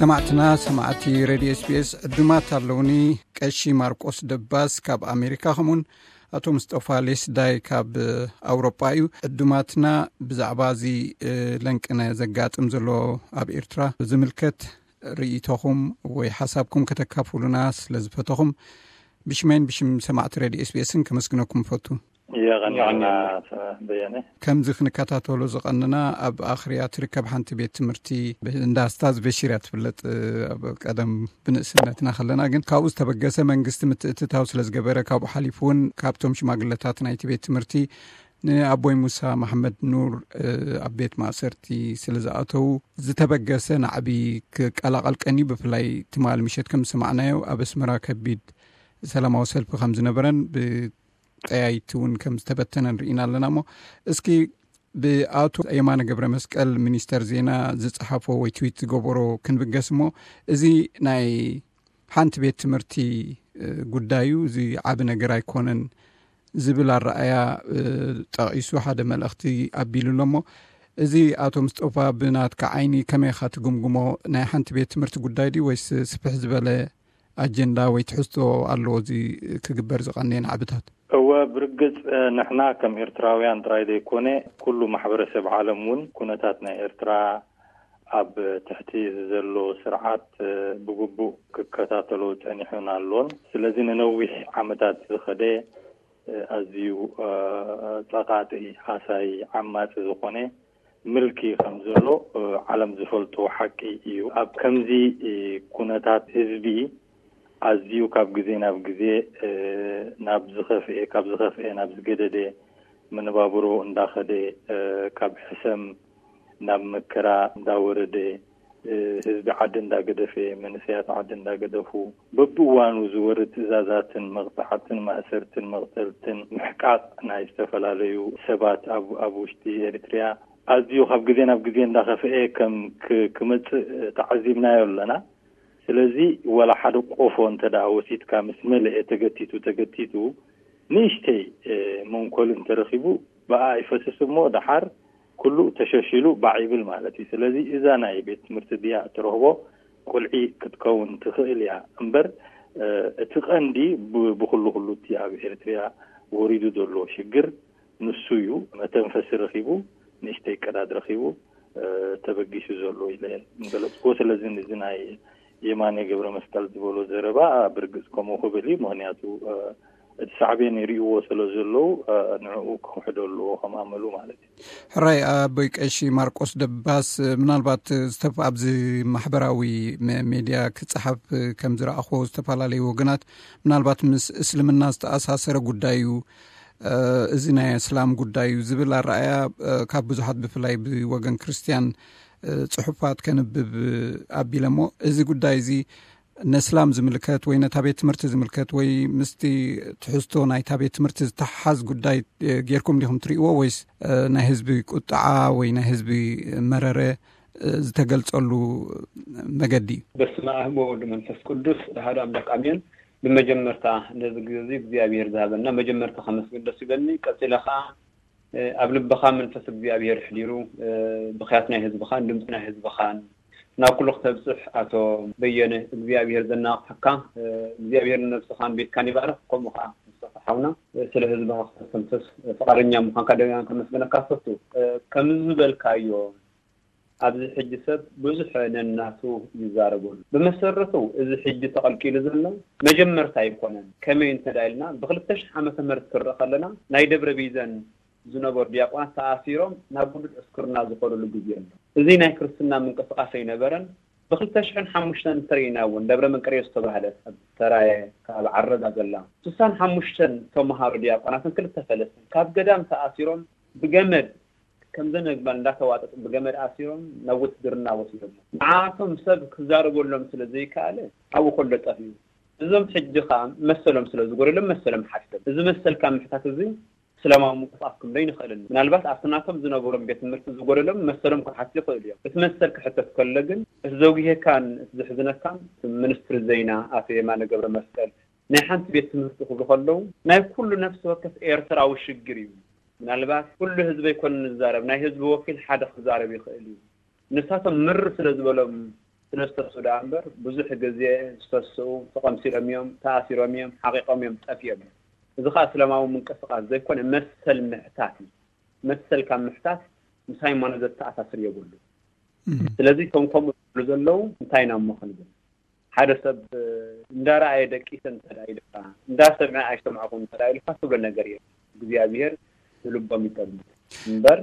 ሰማዕትና ሰማዕቲ ሬድዮ ኤስቢኤስ ዕዱማት ኣለውኒ። ቀሺ ማርቆስ ደባስ ካብ ኣሜሪካ፣ ከምኡን ኣቶ ምስጠፋ ሌስዳይ ካብ ኣውሮጳ እዩ። ዕዱማትና፣ ብዛዕባ እዚ ለንቅነ ዘጋጥም ዘሎ ኣብ ኤርትራ ዝምልከት ርእይቶኹም ወይ ሓሳብኩም ከተካፍሉና ስለ ዝፈተኹም፣ ብሽመይን ብሽም ሰማዕቲ ሬድዮ ኤስቢኤስን ከመስግነኩም እፈቱ። የቐንየና በየነ። ከምዚ ክንከታተሎ ዝቐንና፣ ኣብ ኣኽርያ ትርከብ ሓንቲ ቤት ትምህርቲ፣ እንዳ ስታዝ በሺር እያ ትፍለጥ። ኣብ ቀደም ብንእስነትና ከለና ግን ካብኡ ዝተበገሰ መንግስቲ ምትእትታው ስለ ዝገበረ፣ ካብኡ ሓሊፉ እውን ካብቶም ሽማግለታት ናይቲ ቤት ትምህርቲ ንኣቦይ ሙሳ መሓመድ ኑር ኣብ ቤት ማእሰርቲ ስለ ዝኣተዉ ዝተበገሰ ናዕቢ ክቀላቐል ቀንዩ። ብፍላይ ትማሊ ምሸት ከም ዝሰማዕናዮ ኣብ ኣስመራ ከቢድ ሰላማዊ ሰልፊ ከም ዝነበረን ብጠያይቲ እውን ከም ዝተበተነን ርኢና ኣለና። እሞ እስኪ ብኣቶ የማነ ገብረ መስቀል ሚኒስተር ዜና ዝጸሓፎ ወይ ትዊት ዝገበሮ ክንብገስ እሞ፣ እዚ ናይ ሓንቲ ቤት ትምህርቲ ጉዳዩ እዚ ዓቢ ነገር ኣይኮነን ዝብል ኣረኣያ ጠቒሱ ሓደ መልእኽቲ ኣቢሉ ኣሎ። እሞ እዚ ኣቶ ምስጦፋ ብናትካ ዓይኒ ከመይ ኢኻ ትግምግሞ? ናይ ሓንቲ ቤት ትምህርቲ ጉዳይ ድዩ ወይስ ስፍሕ ዝበለ ኣጀንዳ ወይ ትሕዝቶ ኣለዎ እዚ ክግበር ዝቐነየ ናዕብታት? እወ፣ ብርግጽ ንሕና ከም ኤርትራውያን ጥራይ ዘይኮነ ኩሉ ማሕበረሰብ ዓለም እውን ኩነታት ናይ ኤርትራ ኣብ ትሕቲ ዘሎ ስርዓት ብግቡእ ክከታተሎ ጸኒሑን ኣሎን። ስለዚ ንነዊሕ ዓመታት ዝኸደ ኣዝዩ ጸቓጢ፣ ሃሳይ፣ ዓማጺ ዝኾነ ምልኪ ከም ዘሎ ዓለም ዝፈልጦ ሓቂ እዩ። ኣብ ከምዚ ኩነታት ህዝቢ ኣዝዩ ካብ ግዜ ናብ ግዜ ናብ ዝኸፍኤ፣ ካብ ዝኸፍኤ ናብ ዝገደደ፣ መነባብሮ እንዳኸደ፣ ካብ ሕሰም ናብ መከራ እንዳወረደ፣ ህዝቢ ዓዲ እንዳገደፈ፣ መንእሰያት ዓዲ እንዳገደፉ፣ በብእዋኑ ዝወርድ ትእዛዛትን መቕጻዕትን ማእሰርትን መቕተልትን ምሕቃቕ ናይ ዝተፈላለዩ ሰባት ኣብ ኣብ ውሽጢ ኤሪትሪያ ኣዝዩ ካብ ግዜ ናብ ግዜ እንዳኸፍኤ ከም ክመጽእ ተዓዚብናዮ ኣለና። ስለዚ ወላ ሓደ ቆፎ እንተ ደኣ ወሲድካ ምስ መለኤ ተገቲቱ ተገቲቱ ንእሽተይ መንኮል እንተረኺቡ ብኣ ይፈስስ እሞ ደሓር ኩሉ ተሸሽሉ ባዕ ይብል ማለት እዩ። ስለዚ እዛ ናይ ቤት ትምህርቲ ድያ እትረኽቦ ቁልዒ ክትከውን ትኽእል እያ እምበር እቲ ቀንዲ ብኩሉ ኩሉ እቲ ኣብ ኤርትሪያ ወሪዱ ዘሎ ሽግር ንሱ እዩ። መተንፈሲ ረኺቡ፣ ንእሽተይ ቀዳድ ረኺቡ ተበጊሱ ዘሎ ኢለ ምገለጽኩዎ። ስለዚ እዚ ናይ የማነ ገብረ መስቀል ዝበሎ ዘረባ ብርግጽ ከምኡ ክብል እዩ። ምኽንያቱ እቲ ሳዕቤን ይርእይዎ ስለ ዘለዉ ንዕኡ ክኽሕዶ ኣለዎ ከም ኣመሉ ማለት እዩ። ሕራይ ኣቦይ ቀሺ ማርቆስ ደባስ፣ ምናልባት ዝተፍ ኣብዚ ማሕበራዊ ሜድያ ክጸሓፍ ከም ዝረኣኽዎ ዝተፈላለዩ ወገናት ምናልባት ምስ እስልምና ዝተኣሳሰረ ጉዳይ እዩ፣ እዚ ናይ እስላም ጉዳይ እዩ ዝብል ኣረኣያ ካብ ብዙሓት ብፍላይ ብወገን ክርስትያን ጽሑፋት ከንብብ ኣቢለ እሞ እዚ ጉዳይ እዚ ነስላም ዝምልከት ወይ ነታ ቤት ትምህርቲ ዝምልከት ወይ ምስቲ ትሕዝቶ ናይታ ቤት ትምህርቲ ዝተሓሓዝ ጉዳይ ጌርኩም ዲኹም ትርእይዎ ወይስ ናይ ህዝቢ ቁጥዓ ወይ ናይ ህዝቢ መረረ ዝተገልጸሉ መገዲ እዩ? በስመ ኣብ ወወልድ መንፈስ ቅዱስ ኣሐዱ ኣምላክ ኣሜን። ብመጀመርታ ነዚ ግዜ እዚ እግዚኣብሔር ዝሃበና መጀመርታ ከመስግን ደስ ይብለኒ። ቀጺለ ኸዓ ኣብ ልብኻ መንፈስ እግዚኣብሔር ኣሕዲሩ ብኽያት ናይ ህዝብኻን ድምፂ ናይ ህዝብኻን ናብ ኩሉ ክተብፅሕ ኣቶ በየነ እግዚኣብሔር ዘናቕሓካ እግዚኣብሔር ንነብስኻን ቤትካን ይባርኽ። ከምኡ ከዓ ንስኻ ሓውና ስለ ህዝብኻ ክተስተንፍስ ፍቓደኛ ምዃንካ ደጋጊመ ከመስግነካ እፈቱ። ከምዚ ዝበልካዮ ኣብዚ ሕጂ ሰብ ብዙሕ ነናቱ ይዛረበሉ። ብመሰረቱ እዚ ሕጂ ተቐልቂሉ ዘሎ መጀመርታ ኣይኮነን። ከመይ እንተ ኢልና ብክልተ ሽሕ ዓመተ ምህረት ክረእ ከለና ናይ ደብረ ቢዘን ዝነበሩ ዲያቆናት ተኣሲሮም ናብ ውሉድ ዕስክርና ዝኸዱሉ ግዜ ኣሎ። እዚ ናይ ክርስትና ምንቅስቃስ ኣይነበረን። ብክልተ ሽሕን ሓሙሽተን እንተርኢና እውን ደብረ መንቀርዮስ ዝተባህለት ኣብ ሰራየ ካብ ዓረዳ ዘላ ስሳን ሓሙሽተን ተምሃሮ ዲያቆናትን ክልተ ፈለስትን ካብ ገዳም ተኣሲሮም ብገመድ ከምዘን ኣግማል እንዳተዋጠጡ ብገመድ ኣሲሮም ናብ ውትድርና ወሲዶሞ። ንዓኣቶም ሰብ ክዛረበሎም ስለ ዘይከኣለ ኣብኡ ከሎ ጠፍኡ። እዞም ሕጂ ከኣ መሰሎም ስለ ዝጎደሎም መሰሎም ሓቲቶም። እዚ መሰልካ ምሕታት እዚ እስላማዊ ምንቅስቃስ ክንብሎ ኣይንኽእልን። ምናልባት ኣብቲ ናቶም ዝነበሮም ቤት ትምህርቲ ዝጎደሎም መሰሎም ክሓቱ ይኽእሉ እዮም። እቲ መሰል ክሕተት ከሎ ግን እቲ ዘጉሄካን እቲ ዘሕዝነካን እቲ ሚኒስትሪ ዜና ኣቶ የማነ ገብረ መስቀል ናይ ሓንቲ ቤት ትምህርቲ ክብሉ ከለዉ ናይ ኩሉ ነፍሲ ወከፍ ኤርትራዊ ሽግር እዩ። ምናልባት ኩሉ ህዝቢ ኣይኮነን ዝዛረብ፣ ናይ ህዝቢ ወኪል ሓደ ክዛረብ ይኽእል እዩ። ንሳቶም ምር ስለ ዝበሎም ስለ ዝተስኡ ደኣ እምበር ብዙሕ ግዜ ዝተስኡ ተቐምሲሎም እዮም፣ ተኣሲሮም እዮም፣ ሓቒቖም እዮም፣ ጠፊኦም እዮም። እዚ ኸኣ እስላማዊ ምንቅስቃስ ዘይኮነ መሰል ምሕታት እዩ። መሰል ካብ ምሕታት ምስ ሃይማኖት ዘተኣሳስር የብሉ። ስለዚ እቶም ከምኡ ዝብሉ ዘለዉ እንታይ ኢና እሞ ክንብል? ሓደ ሰብ እንዳረኣየ ደቂሰ እንተ ደኣ ኢልካ፣ እንዳሰምዐ ኣይሰማዕኩን እንተ ደኣ ኢልካ ትብሎ ነገር የለን። እግዚኣብሄር ንልቦም ይጠምት እምበር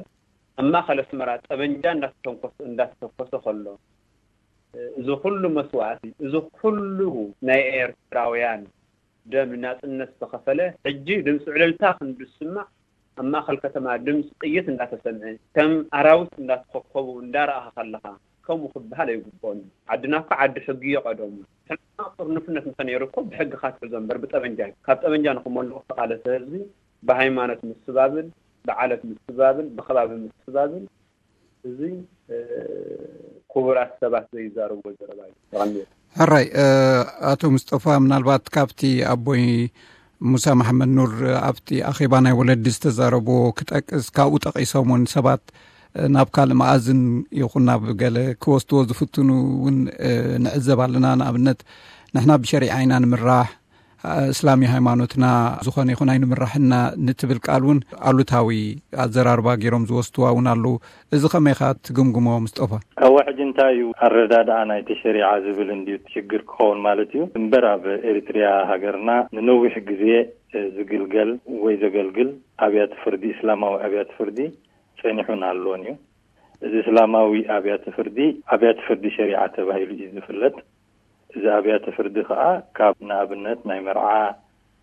ኣብ ማእኸል ኣስመራ ጠበንጃ እንዳተተንኮሰ እንዳተተኮሰ ከሎ እዚ ኩሉ መስዋእቲ፣ እዚ ኩሉ ናይ ኤርትራውያን ደም ንናጽነት ዝተኸፈለ፣ ሕጂ ድምፂ ዕልልታ ክንድስማዕ ኣብ ማእኸል ከተማ ድምፂ ጥይት እንዳተሰምዐ ከም ኣራዊት እንዳተኸከቡ እንዳረኣኻ ከለኻ ከምኡ ክበሃል ኣይግብኦን። ዓድና እኮ ዓዲ ሕጊ እዮ ቀደሙ። ሕና ጥርንፍነት እንተነይሩ እኮ ብሕጊ ካትሕዞ እምበር ብጠበንጃ እዩ። ካብ ጠበንጃ ንክመልቑ ዝተቓለሰ ህዝቢ ብሃይማኖት ምስባብን ብዓለት ምስባብን ብከባቢ ምስባብን እዚ ክቡራት ሰባት ዘይዛረብዎ ዘረባ እዩ። ሕራይ። ኣቶ ሙስጠፋ፣ ምናልባት ካብቲ ኣቦይ ሙሳ መሓመድ ኑር ኣብቲ ኣኼባ ናይ ወለዲ ዝተዛረብዎ ክጠቅስ፣ ካብኡ ጠቒሶም እውን ሰባት ናብ ካልእ መኣዝን ይኹን ናብ ገለ ክወስድዎ ዝፍትኑ እውን ንዕዘብ ኣለና። ንኣብነት ንሕና ብሸሪዓ ኢና ንምራሕ፣ እስላም ሃይማኖትና ዝኾነ ይኹን ኣይንምራሕና ንትብል ቃል እውን ኣሉታዊ ኣዘራርባ ገይሮም ዝወስድዋ እውን ኣለዉ። እዚ ከመይኻ ትግምግሞ፣ ምስጠፋ? እወ፣ ሕጂ እንታይ እዩ ኣረዳድኣ ናይቲ ሸሪዓ ዝብል እንድዩ ሽግር ክኸውን ማለት እዩ እምበር፣ ኣብ ኤሪትሪያ ሃገርና ንነዊሕ ግዜ ዝግልገል ወይ ዘገልግል ኣብያተ ፍርዲ፣ እስላማዊ ኣብያተ ፍርዲ ጸኒሑን ኣሎን እዩ። እዚ እስላማዊ ኣብያተ ፍርዲ ኣብያተ ፍርዲ ሸሪዓ ተባሂሉ እዩ ዝፍለጥ። እዚ ኣብያተ ፍርዲ ከኣ ካብ ንኣብነት ናይ መርዓ፣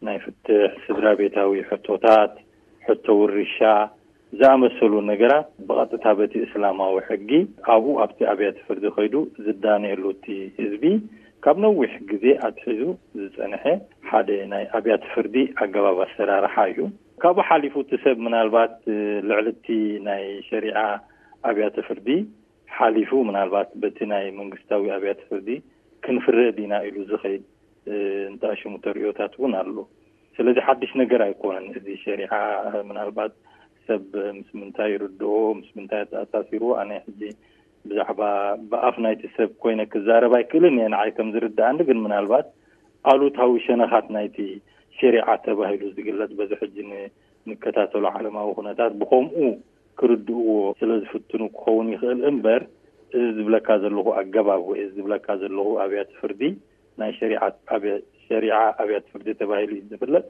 ናይ ፍትሕ፣ ስድራ ቤታዊ ሕቶታት፣ ሕቶ ውርሻ ዝኣመሰሉ ነገራት ብቐጥታ በቲ እስላማዊ ሕጊ ኣብኡ ኣብቲ ኣብያተ ፍርዲ ከይዱ ዝዳነየሉ እቲ ህዝቢ ካብ ነዊሕ ግዜ ኣትሒዙ ዝጸንሐ ሓደ ናይ ኣብያተ ፍርዲ ኣገባብ ኣሰራርሓ እዩ። ካብኡ ሓሊፉ እቲ ሰብ ምናልባት ልዕሊ እቲ ናይ ሸሪዓ ኣብያተ ፍርዲ ሓሊፉ ምናልባት በቲ ናይ መንግስታዊ ኣብያተ ፍርዲ ክንፍረድ ኢና ኢሉ ዝኸይድ እንተኣሽሙ ተርእዮታት እውን ኣሎ። ስለዚ ሓድሽ ነገር ኣይኮነን። እዚ ሸሪዓ ምናልባት ሰብ ምስ ምንታይ ይርድኦ፣ ምስ ምንታይ ተኣሳሲሩ፣ ኣነ ሕጂ ብዛዕባ ብኣፍ ናይቲ ሰብ ኮይነ ክዛረብ ኣይክእልን እየ። ንዓይ ከም ዝርድኣኒ ግን ምናልባት ኣሉታዊ ሸነኻት ናይቲ ሸሪዓ ተባሂሉ ዝግለጽ በዚ ሕጂ ን- ንከታተሎ ዓለማዊ ኩነታት ብኸምኡ ክርድእዎ ስለ ዝፍትኑ ክኸውን ይኽእል እምበር፣ እዚ ዝብለካ ዘለኹ ኣገባብ ወይ እዚ ዝብለካ ዘለኹ ኣብያተ ፍርዲ ናይ ሸሪዓ ኣብያ- ሸሪዓ ኣብያተ ፍርዲ ተባሂሉ እዩ ዝፍለጥ።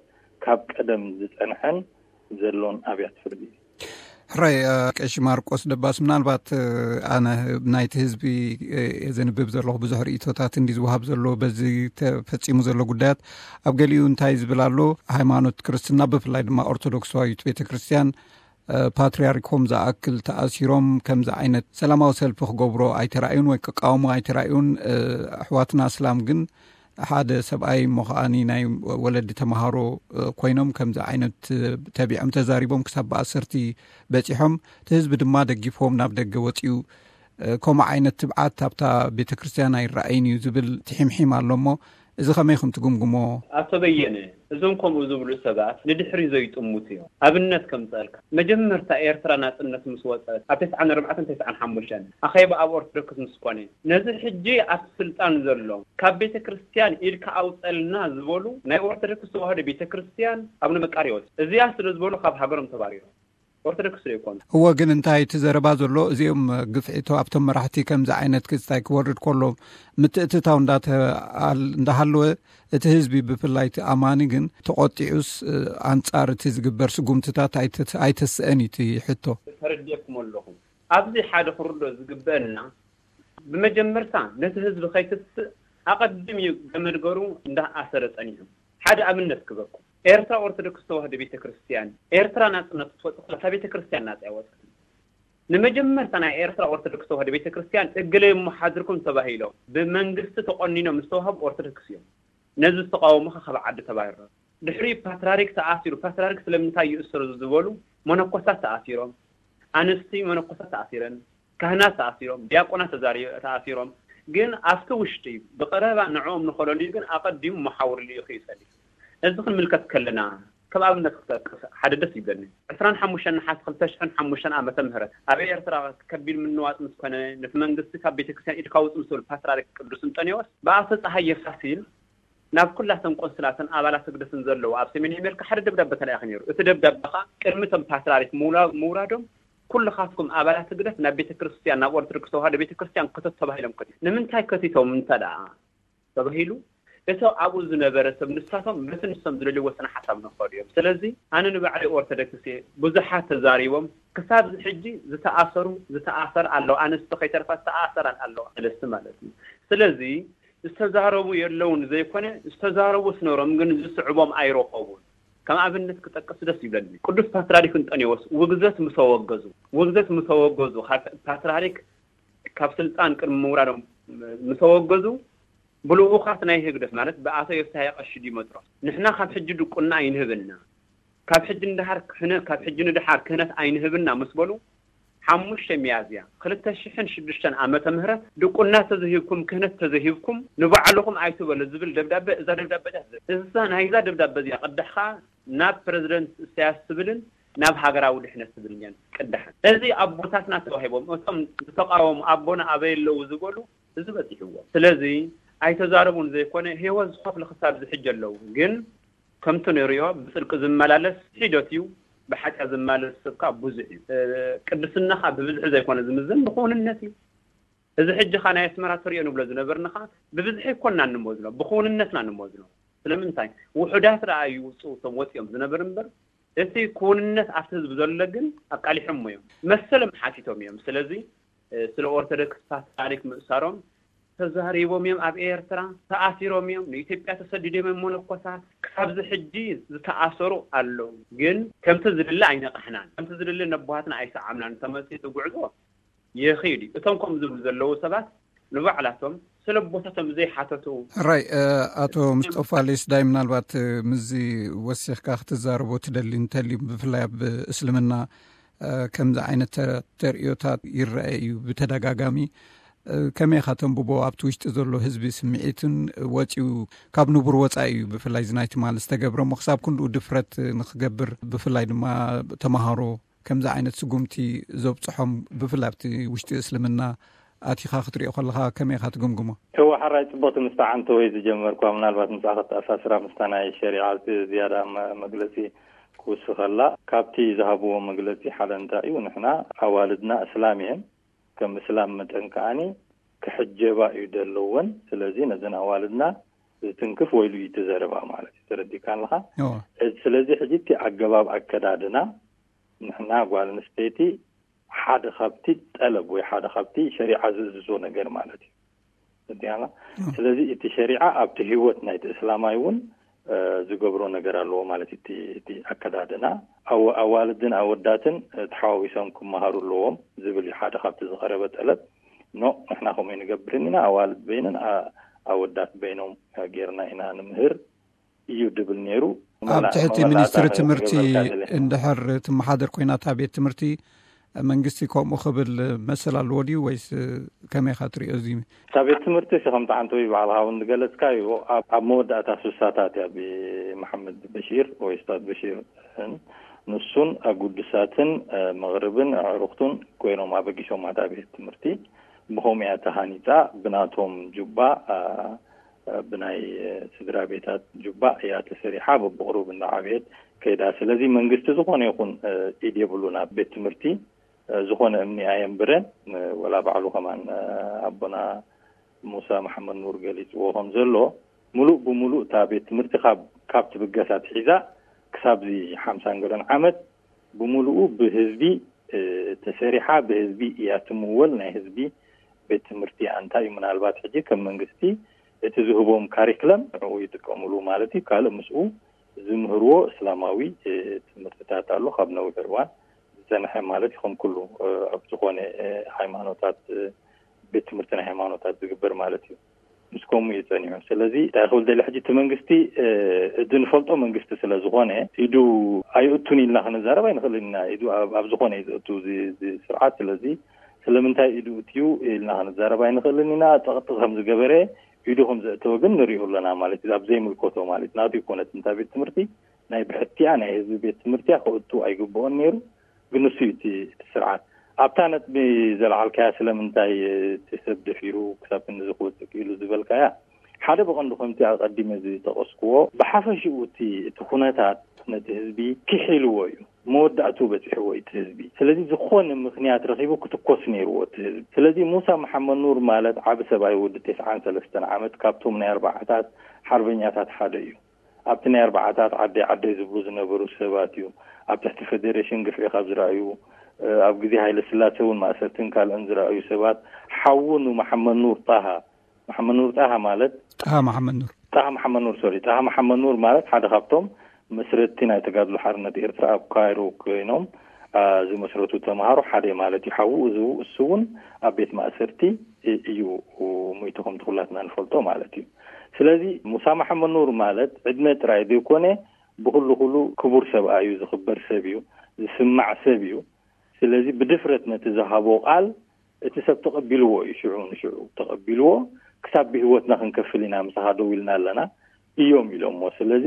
ካብ ቀደም ዝጸንሐን ዘሎን ኣብያተ ፍርዲ እዩ። ሕራይ፣ ቀሺ ማርቆስ ደባስ፣ ምናልባት ኣነ ናይቲ ህዝቢ ዘንብብ ዘለኹ ብዙሕ ርእይቶታት እንዲ ዝወሃብ ዘሎ በዚ ተፈጺሙ ዘሎ ጉዳያት፣ ኣብ ገሊኡ እንታይ ዝብል ኣሎ፣ ሃይማኖት ክርስትና ብፍላይ ድማ ኦርቶዶክሳዊት ቤተ ክርስቲያን ፓትርያርኮም ዝኣክል ተኣሲሮም ከምዚ ዓይነት ሰላማዊ ሰልፊ ክገብሮ ኣይተራእዩን ወይ ክቃወሙ ኣይተራእዩን። ኣሕዋትና ኣስላም ግን ሓደ ሰብኣይ እሞ ከዓኒ ናይ ወለዲ ተምሃሮ ኮይኖም ከምዚ ዓይነት ተቢዖም ተዛሪቦም ክሳብ ብኣሰርቲ በጺሖም፣ እቲ ህዝቢ ድማ ደጊፍዎም ናብ ደገ ወጺኡ። ከምኡ ዓይነት ትብዓት ኣብታ ቤተ ክርስቲያን ኣይረኣይን እዩ ዝብል ትሒምሒም ኣሎ እሞ፣ እዚ ከመይ ኢኹም ትግምግሞ? ኣቶ በየነ፣ እዞም ከምኡ ዝብሉ ሰባት ንድሕሪ ዘይጥምቱ እዮም። ኣብነት ከምፀልካ፣ መጀመርታ ኤርትራ ናፅነት ምስ ወፀት ኣብ ተስዓን ኣርባዕተን ተስዓን ሓሙሽተን ኣኼባ ኣብ ኦርቶዶክስ ምስ ኮነ፣ ነዚ ሕጂ ኣብ ስልጣን ዘሎ ካብ ቤተ ክርስቲያን ኢድካ ኣውፀልና ዝበሉ ናይ ኦርቶዶክስ ተዋህዶ ቤተ ክርስቲያን ኣቡነ መቃርዮስ እዚኣ ስለ ዝበሉ ካብ ሃገሮም ተባሪሮም። ኦርቶዶክስ ዶ ይኮኑ? እወ፣ ግን እንታይ እቲ ዘረባ ዘሎ፣ እዚኦም ግፍዒቶ ኣብቶም መራሕቲ ከምዚ ዓይነት ክስታይ ክወርድ ከሎ ምትእትታው እንዳተኣል- እንዳሃለወ፣ እቲ ህዝቢ ብፍላይ እቲ ኣማኒ ግን ተቆጢዑስ ኣንጻር እቲ ዝግበር ስጉምትታት ኣይተ- ኣይተስአን እዩ እቲ ሕቶ። ተረዲኤኩም ኣለኹ። ኣብዚ ሓደ ክርዶ ዝግበአና፣ ብመጀመርታ ነቲ ህዝቢ ከይትስእ ኣቐዲም እዩ ገመድ ገሩ እንዳኣሰረ ጸኒሑ። ሓደ ኣብነት ክበኩም። ኤርትራ ኦርቶዶክስ ተዋህዶ ቤተ ክርስቲያን ኤርትራ ናጽነት ክትወጽእ ከላ እታ ቤተ ክርስቲያን ናጽ ኣይወጸትን። ንመጀመርታ ናይ ኤርትራ ኦርቶዶክስ ተዋህዶ ቤተ ክርስቲያን እግለይ እሞ ሓድርኩም ተባሂሎም ብመንግስቲ ተቆኒኖም ዝተዋህቡ ኦርቶዶክስ እዮም። ነዚ ዝተቃወሙ ከ ካብ ዓዲ ተባረሩ። ድሕሪ ፓትራሪክ ተኣሲሩ፣ ፓትራሪክ ስለምንታይ ይእሰሩ ዝበሉ መነኮሳት ተኣሲሮም፣ ኣንስቲ መነኮሳት ተኣሲረን፣ ካህናት ተኣሲሮም፣ ዲያቆናት ተዛሪ- ተኣሲሮም። ግን ኣብቲ ውሽጢ ብቐረባ ንዕኦም ንኸለልዩ ግን ኣቐዲሙ መሓውር ልኢኹ እዩ ጸኒሑ። እዚ ክንምልከት ከለና ከም ኣብነት ክጠቅስ ሓደ ደስ ይብለኒ። ዕስራን ሓሙሽተን ነሓስ ክልተ ሽሕን ሓሙሽተን ዓመተ ምህረት ኣብ ኤርትራ ከቢድ ምንዋጽ ምስ ኮነ፣ ነቲ መንግስቲ ካብ ቤተክርስትያን ኢድካ ውጽእ ምስ በሉ ፓትርያርክ ቅዱስ እንጠንዮስ ብኣቶ ጸሃየ ፋሲል ናብ ኩላተን ቆንስላትን ኣባላት ህግደፍን ዘለዉ ኣብ ሰሜን ኣሜሪካ ሓደ ደብዳበ ተላኢኹ ነይሩ። እቲ ደብዳበ ከኣ ቅድሚ እቶም ፓትርያርክ ምውላ-፣ ምውራዶም ኩልኻትኩም ኣባላት ህግደፍ ናብ ቤተክርስትያን፣ ናብ ኦርቶዶክስ ተዋህዶ ቤተክርስትያን ክተት ተባሂሎም ከቲቶም። ንምንታይ ከቲቶም እንተ ደኣ ተባሂሉ፣ እቶም ኣብኡ ዝነበረ ሰብ ንሳቶም በቲ ንሶም ዝደልይዎ ስነ ሓሳብ ንኸዱ እዮም። ስለዚ ኣነ ንባዕለይ ኦርቶዶክስ እየ። ብዙሓት ተዛሪቦም፣ ክሳብ እዚ ሕጂ ዝተኣሰሩ፣ ዝተኣሰር ኣለዋ፣ ኣንስቲ ከይተርፋ ዝተኣሰራን ኣለዋ፣ ሰለስቲ ማለት እዩ። ስለዚ ዝተዛረቡ የለውን ዘይኮነ፣ ዝተዛረቡ ስነሮም ግን ዝስዕቦም ኣይረኸቡን። ከም ኣብነት ክጠቅስ ደስ ይብለኒ። ቅዱስ ፓትርያርክ እንጠንዮስ ውግዘት ምሰወገዙ፣ ውግዘት ምሰወገዙ፣ ካብ ፓትርያርክ ካብ ስልጣን ቅድሚ ምውራዶም ምሰወገዙ፣ ብልኡኻት ናይ ህግደፍ ማለት ብኣቶ ዮፍታሄ ቀሺ ዲመጥሮስ፣ "ንሕና ካብ ሕጂ ድቁና ኣይንህብና፣ ካብ ሕጂ ንደሓር ክህነ-፣ ካብ ሕጂ ንደሓር ክህነት ኣይንህብና" ምስ በሉ፣ ሓሙሽተ ሚያዝያ ክልተ ሽሕን ሽዱሽተን ዓመተ ምህረት ድቁና ተዘሂብኩም፣ ክህነት ተዘሂብኩም፣ ንባዕልኹም ኣይትበሉ ዝብል ደብዳበ፣ እዛ ደብዳበ እዚኣ ትዘ-፣ እዛ ናይዛ ደብዳበ እዚኣ ቅዳሕ ከኣ ናብ ፕረዚደንት ኢሳያስ ትብልን ናብ ሃገራዊ ድሕነት ትብልን እየን ቅዳሕን። እዚ ኣቦታትና ተዋሂቦም፣ እቶም ዝተቃወሙ ኣቦና ኣበይ ኣለዉ ዝበሉ፣ እዚ በጺሕዎም። ስለዚ ኣይተዛረቡን ዘይኮነ፣ ህይወት ዝኸፍሉ ክሳብ እዚ ሕጂ ኣለዉ። ግን ከምቲ ንርእዮ ብጽድቂ ዝመላለስ ሒደት እዩ፣ ብሓጢኣት ዝመላለስ ሰብ ከኣ ብዙሕ እዩ። እ፣ ቅድስና ከኣ ብብዝሒ ዘይኮነ ዝምዘን ብክውንነት እዩ። እዚ ሕጂ ኸኣ ናይ ኣስመራ ተርእዮ ንብሎ ዝነበርና ኸኣ ብብዝሒ ኣይኮንና እንመዝኖ፣ ብክውንነትና ንመዝኖ። ስለምንታይ? ውሑዳት ደኣ ይውጽኡ እቶም ወጺኦም ዝነበሩ እምበር፣ እቲ ክውንነት ኣብቲ ህዝቢ ዘሎ ግን ኣቃሊሖሞ እዮም። መሰሎም ሓቲቶም እዮም። ስለዚ፣ እ፣ ስለ ኦርቶዶክስ ፓትርያርክ ምእሳሮም ተዛሪቦም እዮም። ኣብ ኤርትራ ተኣሲሮም እዮም። ንኢትዮጵያ ተሰዲዶም እዮም መነኮሳት። ክሳብዚ ሕጂ ዝተኣሰሩ ኣለዉ። ግን ከምቲ ዝድለ ኣይነቃሕናን። ከምቲ ዝድለ ነቦሃትና ኣይሰዓምናን። ተመጽኡ እቲ ጉዕዞ ይኺድ እዩ። እቶም ከምኡ ዝብሉ ዘለዉ ሰባት ንባዕላቶም ስለ ቦታቶም ዘይሓተቱ። ራይ፣ እ፣ ኣቶ ምስጦፋ ሌስዳይ፣ ምናልባት፣ እ፣ ምስዚ ወሲኽካ ክትዛረቦ ትደሊ እንተልዩ፣ ብፍላይ ኣብ እስልምና፣ እ፣ ከምዚ ዓይነት ተ-፣ ተርእዮታት ይረአ እዩ ብተደጋጋሚ። እ፣ ከመይ ኢኻ ተንብቦ? ኣብቲ ውሽጢ ዘሎ ህዝቢ ስምዒትን ወጺኡ ካብ ንቡር ወጻኢ እዩ፣ ብፍላይ እዚ ናይ ትማሊ ዝተገብረ እሞ ክሳብ ክንድኡ ድፍረት ንኽገብር፣ ብፍላይ ድማ ተመሃሮ ከምዚ ዓይነት ስጉምቲ ዘብጽሖም፣ ብፍላይ ኣብቲ ውሽጢ እስልምና ኣቲኻ ክትሪኦ ከለኻ ከመይ ኢኻ ትግምግሞ? እወ፣ ሓራይ ጽቡቕቲ ምስታ ዓንተወይ ዝጀመርኳ፣ ምናልባት ምስኣ ከተኣሳስራ ምስታ ናይ ሸሪዓ እቲ ዝያዳ መ-፣ መግለጺ ክውስኸላ። ካብቲ ዝሃብዎ መግለጺ ሓደ እንታይ እዩ፣ ንሕና ኣዋልድና እስላም እየን፣ ከም እስላም መጠን ከኣኒ ክሕጀባ እዩ ዘለወን። ስለዚ ነዘን ኣዋልድና ዝትንክፍ ወይሉ እዩ እቲ ዘረባ ማለት እዩ። ተረዲእካ ኣለኻ? እወ። እዚ፣ ስለዚ ሕጂ እቲ ኣገባብ ኣከዳድና ንሕና ጓል ኣንስተይቲ ሓደ ካብቲ ጠለብ ወይ ሓደ ካብቲ ሸሪዓ ዝእዝዞ ነገር ማለት እዩ። ተረዲእካ ኣለኻ? እወ። ስለዚ እቲ ሸሪዓ ኣብቲ ህይወት ናይቲ እስላማይ እውን፣ እ፣ ዝገብሮ ነገር ኣለዎ ማለት እዩ። እቲ፣ እቲ ኣከዳድና ኣወ-፣ ኣዋልድን ኣወዳትን፣ እ፣ ተሓዋዊሶም ክመሃሩ ኣለዎም ዝብል እዩ ሓደ ካብቲ ዝቐረበ ጠለብ። ኖ፣ ንሕና ከምኡ ኣይንገብርን ኢና፣ ኣዋልድ በይነን፣ ኣ-፣ ኣወዳት በይኖም ጌርና ኢና ንምህር እዩ ድብል ነይሩ። ኣብ መላ-፣ ትሕቲ መወዳእታ ሚኒስትሪ ትምህርቲ ክገብረልካ ደለ። እንድሕር ትመሓደር ኮይና እታ ቤት ትምህርቲ፣ መንግስቲ ከምኡ ክብል መሰል ኣለዎ ድዩ ወይስ ከመይ ኢኻ ትሪኦ እዚ? እታ ቤት ትምህርቲ ሲ ከምቲ ዓንተወይ ባዕልኻ እውን ዝገለጽካዮ ኣብ፣ ኣብ መወዳእታ ስሳታት እያ ብመሓመድ በሺር ወይ ኡስታዝ በሺር ንሱን ኣጉድሳትን፣ እ፣ መቕርብን ኣዕሩኽቱን ኮይኖም ኣበጊሶማ እታ ቤት ትምህርቲ። ብኸምኡ እያ ተሃኒጻ። ብናቶም ጁባ፣ እ፣ ብናይ፣ እ፣ ስድራ ቤታት ጁባ እያ ተሰሪሓ። በብቕሩብ እንዳዓበየት ከይዳ። ስለዚ መንግስቲ ዝኾነ ይኹን፣ እ፣ ኢድ የብሉን ኣብ ቤት ትምህርቲ፣ እ፣ ዝኾነ እምኒ ኣየንብረን። እ፣ ወላ ባዕሉ ከማን፣ እ፣ ኣቦና ሙሳ መሓመድ ኑር ገሊጽዎ ከም ዘሎ፣ ምሉእ ብምሉእ እታ ቤት ትምህርቲ ካብ፣ ካብ ትብገስ ኣትሒዛ ክሳብዚ ሓምሳን ገለን ዓመት ብምሉኡ ብህዝቢ፣ እ፣ ተሰሪሓ፣ ብህዝቢ እያ ትምወል። ናይ ህዝቢ ቤት ትምህርቲ ኣንታ እዩ። ምናልባት ሕጂ ከም መንግስቲ እቲ ዝህቦም ካሪክለም ንዕኡ ይጥቀምሉ ማለት እዩ። ካልእ ምስኡ ዝምህርዎ እስላማዊ፣ እ፣ ትምህርትታት ኣሎ፣ ካብ ነዊሕ እዋን ዝጸንሐ ማለት እዩ። ከም ኩሉ፣ እ፣ ኣብ ዝኾነ፣ እ፣ ሃይማኖታት፣ እ፣ ቤት ትምህርቲ ናይ ሃይማኖታት ዝግበር ማለት እዩ። ምስ ከምኡ እዩ ጸኒሑ። ስለዚ እንታይ ክብል ደሊ፣ ሕጂ እቲ መንግስቲ፣ እ፣ እዚ ንፈልጦ መንግስቲ ስለ ዝኾነ፣ ኢዱ ኣይእቱን ኢልና ክንዛረብ ኣይንኽእልን ኢና። ኢዱ ኣብ፣ ኣብ ዝኾነ እዩ ዝእቱ እዚ፣ እዚ ስርዓት። ስለዚ ስለምንታይ ኢዱ እትዩ ኢልና ክንዛረብ ኣይንኽእልን ኢና። ጸቕጢ ከም ዝገበረ፣ ኢዱ ከም ዘእተወ ግን ንሪኦ ኣለና ማለት እዩ። ኣብ ዘይምልከቶ ማለት ናቱ ይኮነት እንታ ቤት ትምህርቲ ናይ ብሕትያ ናይ ህዝቢ ቤት ትምህርትያ ክእቱ ኣይግብኦን ነይሩ። ግን ንሱ እዩ እቲ እቲ ስርዓት ኣብታ ነጥቢ ዘልዓልካያ ስለምንታይ እቲ ሰብ ደፊሩ ክሳብ ክንዲ ዝክወጽእ ክኢሉ ዝበልካያ ሓደ ብቐንዱ ከምቲ ኣቐዲመ ዝጠቐስክዎ ብሓፈሽኡ እቲ እቲ ኩነታት ነቲ ህዝቢ ክሒልዎ እዩ። መወዳእቱ በፂሕዎ እቲ ህዝቢ። ስለዚ ዝኾነ ምክንያት ረኺቡ ክትኮስ ነይርዎ እቲ ህዝቢ። ስለዚ ሙሳ መሓመድ ኑር ማለት ዓቢ ሰብኣይ ወዲ ተስዓን ሰለስተን ዓመት ካብቶም ናይ ኣርባዓታት ሓርበኛታት ሓደ እዩ። ኣብቲ ናይ ኣርባዓታት ዓደይ ዓደይ ዝብሉ ዝነበሩ ሰባት እዩ። ኣብ ትሕቲ ፌዴሬሽን ግፍዒ ካብ ዝረኣዩ ኣብ ግዜ ሃይለ ስላሴ እውን ማእሰርትን ካልእን ዝረኣዩ ሰባት ሓዉ ንመሓመድ ኑር ጣሃ መሓመድ ኑር ጣሃ ማለት ጣሃ መሓመድ ኑር ጣሃ መሓመድ ኑር ሶሪ ጣሃ መሓመድ ኑር ማለት ሓደ ካብቶም መስረትቲ ናይ ተጋድሎ ሓርነት ኤርትራ ኣብ ካይሮ ኮይኖም ዝመስረቱ ተምሃሮ ሓደ ማለት እዩ። ሓዉ እዚ እሱ እውን ኣብ ቤት ማእሰርቲ እዩ ሙይቱ ከምቲ ኩላትና ንፈልጦ ማለት እዩ። ስለዚ ሙሳ መሓመድ ኑር ማለት ዕድመ ጥራይ ዘይኮነ ብኩሉ ኩሉ ክቡር ሰብኣይ እዩ፣ ዝኽበር ሰብ እዩ፣ ዝስማዕ ሰብ እዩ። ስለዚ ብድፍረት ነቲ ዝሃቦ ቃል እቲ ሰብ ተቐቢልዎ እዩ። ሽዑ ንሽዑ ተቐቢልዎ ክሳብ ብህይወትና ክንከፍል ኢና ምሳኻ ደው ኢልና ኣለና እዮም ኢሎሞ። ስለዚ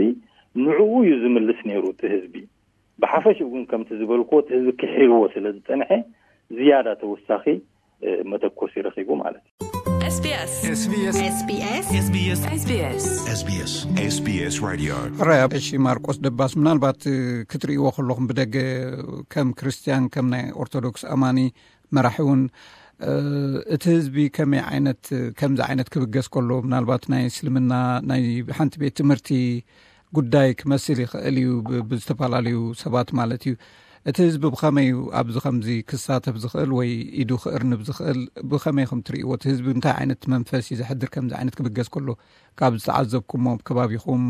ንዕኡ እዩ ዝምልስ ነይሩ እቲ ህዝቢ። ብሓፈሽኡ ግን ከምቲ ዝበልክዎ እቲ ህዝቢ ክሒልዎ ስለ ዝጸንሐ ዝያዳ ተወሳኺ መተኮሲ ረኺቡ ማለት እዩ። SBS SBS SBS SBS SBS SBS Radio ሕራይ ኣብ ቀሺ ማርቆስ ደባስ ምናልባት ክትርእይዎ ከለኹም ብደገ ከም ክርስትያን ከም ናይ ኦርቶዶክስ ኣማኒ መራሒ እውን እቲ ህዝቢ ከመይ ዓይነት ከምዚ ዓይነት ክብገስ ከሎ ምናልባት ናይ እስልምና ናይ ሓንቲ ቤት ትምህርቲ ጉዳይ ክመስል ይኽእል እዩ ብዝተፈላለዩ ሰባት ማለት እዩ። እቲ ህዝቢ ብኸመይ እዩ ኣብዚ ከምዚ ክሳተፍ ዝኽእል ወይ ኢዱ ክእርንብ ዝኽእል ብኸመይ ከም ትርእይዎ እቲ ህዝቢ እንታይ ዓይነት መንፈስ እዩ ዘሕድር ከምዚ ዓይነት ክብገስ ከሎ ካብ ዝተዓዘብኩሞም ከባቢኹም